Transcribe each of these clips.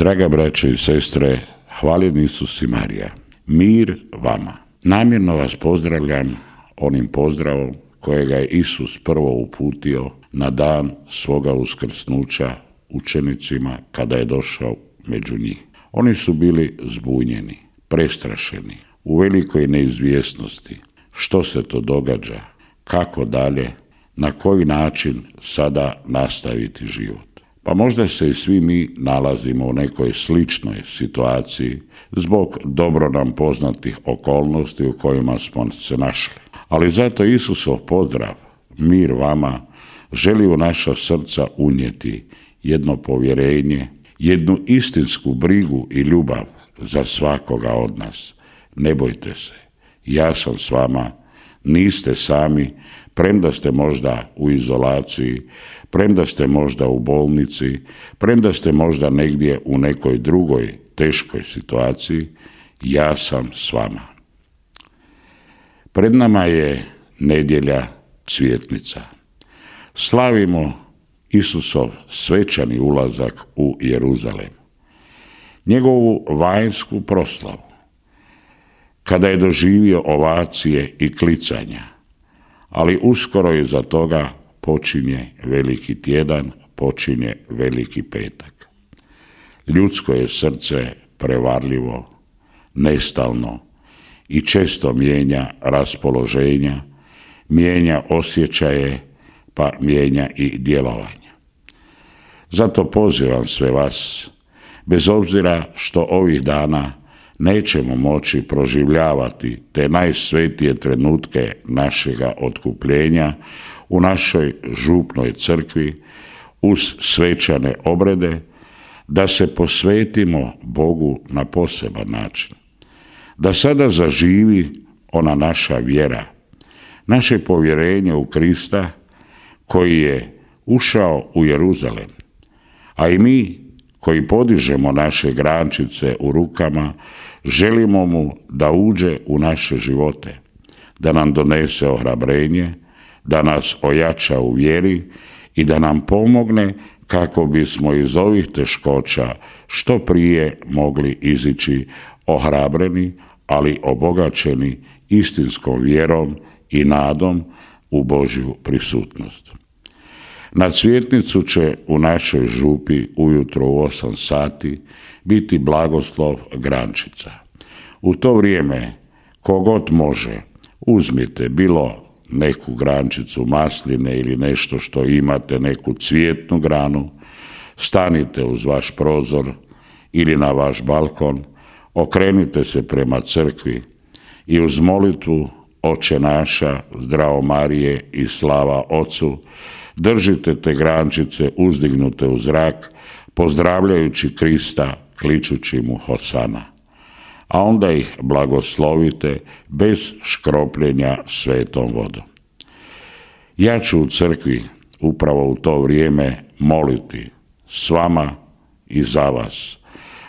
Draga braćo i sestre, hvaljeni Isus i Marija, mir vama. Namjerno vas pozdravljam onim pozdravom kojega je Isus prvo uputio na dan svoga uskrsnuća učenicima kada je došao među njih. Oni su bili zbunjeni, prestrašeni, u velikoj neizvjesnosti. Što se to događa? Kako dalje? Na koji način sada nastaviti život? Pa možda se i svi mi nalazimo u nekoj sličnoj situaciji zbog dobro nam poznatih okolnosti u kojima smo se našli. Ali zato Isusov pozdrav, mir vama, želi u naša srca unijeti jedno povjerenje, jednu istinsku brigu i ljubav za svakoga od nas. Ne bojte se, ja sam s vama, niste sami, premda ste možda u izolaciji, premda ste možda u bolnici, premda ste možda negdje u nekoj drugoj teškoj situaciji, ja sam s vama. Pred nama je nedjelja Cvjetnica. Slavimo Isusov svečani ulazak u Jeruzalem, njegovu vanjsku proslavu, kada je doživio ovacije i klicanja, ali uskoro iza toga počinje veliki tjedan, počinje veliki petak. Ljudsko je srce prevarljivo, nestalno i često mijenja raspoloženja, mijenja osjećaje, pa mijenja i djelovanja. Zato pozivam sve vas, bez obzira što ovih dana nećemo moći proživljavati te najsvetije trenutke našega otkupljenja u našoj župnoj crkvi uz svečane obrede, da se posvetimo Bogu na poseban način. Da sada zaživi ona naša vjera, naše povjerenje u Krista koji je ušao u Jeruzalem, a i mi koji podižemo naše grančice u rukama, želimo mu da uđe u naše živote, da nam donese ohrabrenje, da nas ojača u vjeri i da nam pomogne kako bismo iz ovih teškoća što prije mogli izići ohrabreni, ali obogaćeni istinskom vjerom i nadom u Božju prisutnost. Na Cvjetnicu će u našoj župi ujutro u 8 sati biti blagoslov grančica. U to vrijeme, kogod može, uzmite bilo neku grančicu masline ili nešto što imate, neku cvjetnu granu, stanite uz vaš prozor ili na vaš balkon, okrenite se prema crkvi i uz molitvu Oče naša, zdravo Marije i slava Ocu, držite te grančice uzdignute u zrak, pozdravljajući Krista, kličući mu Hosana. A onda ih blagoslovite bez škropljenja svetom vodom. Ja ću u crkvi upravo u to vrijeme moliti s vama i za vas.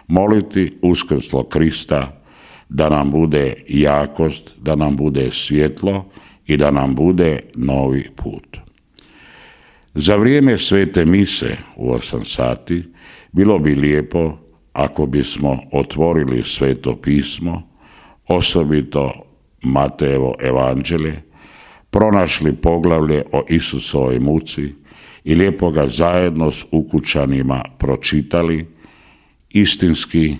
Moliti uskrslo Krista da nam bude jakost, da nam bude svjetlo i da nam bude novi put. Za vrijeme svete mise u 8 sati bilo bi lijepo ako bismo otvorili sveto pismo, osobito Matejevo evanđelje, pronašli poglavlje o Isusovoj muci i lijepo ga zajedno s ukućanima pročitali, istinski,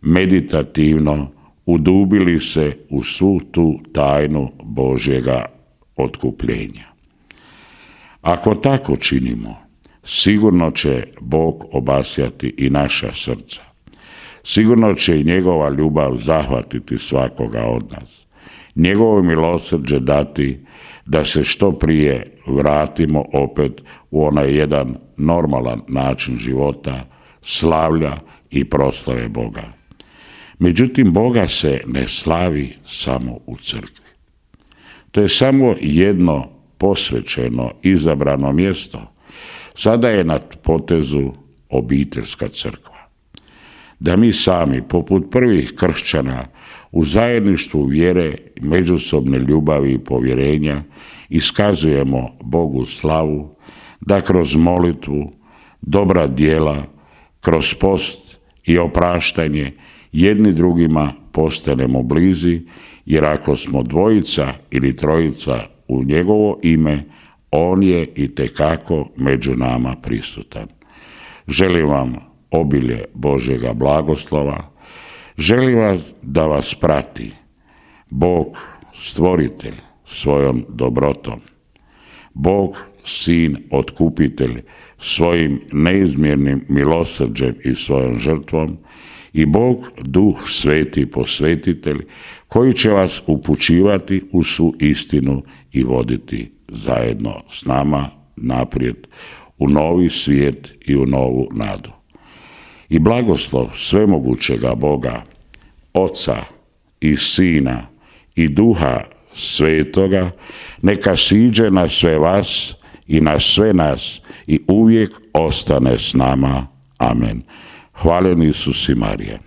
meditativno udubili se u svu tu tajnu Božjega otkupljenja. Ako tako činimo, sigurno će Bog obasjati i naša srca. Sigurno će i njegova ljubav zahvatiti svakoga od nas. Njegovo milosrđe dati da se što prije vratimo opet u onaj jedan normalan način života, slavlja i proslave Boga. Međutim, Boga se ne slavi samo u crkvi. To je samo jedno posvećeno, izabrano mjesto. Sada je na potezu obiteljska crkva. Da mi sami, poput prvih kršćana, u zajedništvu vjere, međusobne ljubavi i povjerenja iskazujemo Bogu slavu, da kroz molitvu, dobra djela, kroz post i opraštanje, jedni drugima postanemo blizi, jer ako smo dvojica ili trojica u njegovo ime, on je itekako među nama prisutan. Želim vam obilje Božjega blagoslova, želim vas da vas prati Bog stvoritelj svojom dobrotom, Bog sin otkupitelj svojim neizmjernim milosrđem i svojom žrtvom i Bog Duh Sveti posvetitelj koji će vas upućivati u svu istinu i voditi zajedno s nama naprijed u novi svijet i u novu nadu. I blagoslov svemogućega Boga, Oca i Sina i Duha Svetoga, neka siđe na sve vas i na sve nas i uvijek ostane s nama. Amen. Hvaljen Isus i Marija.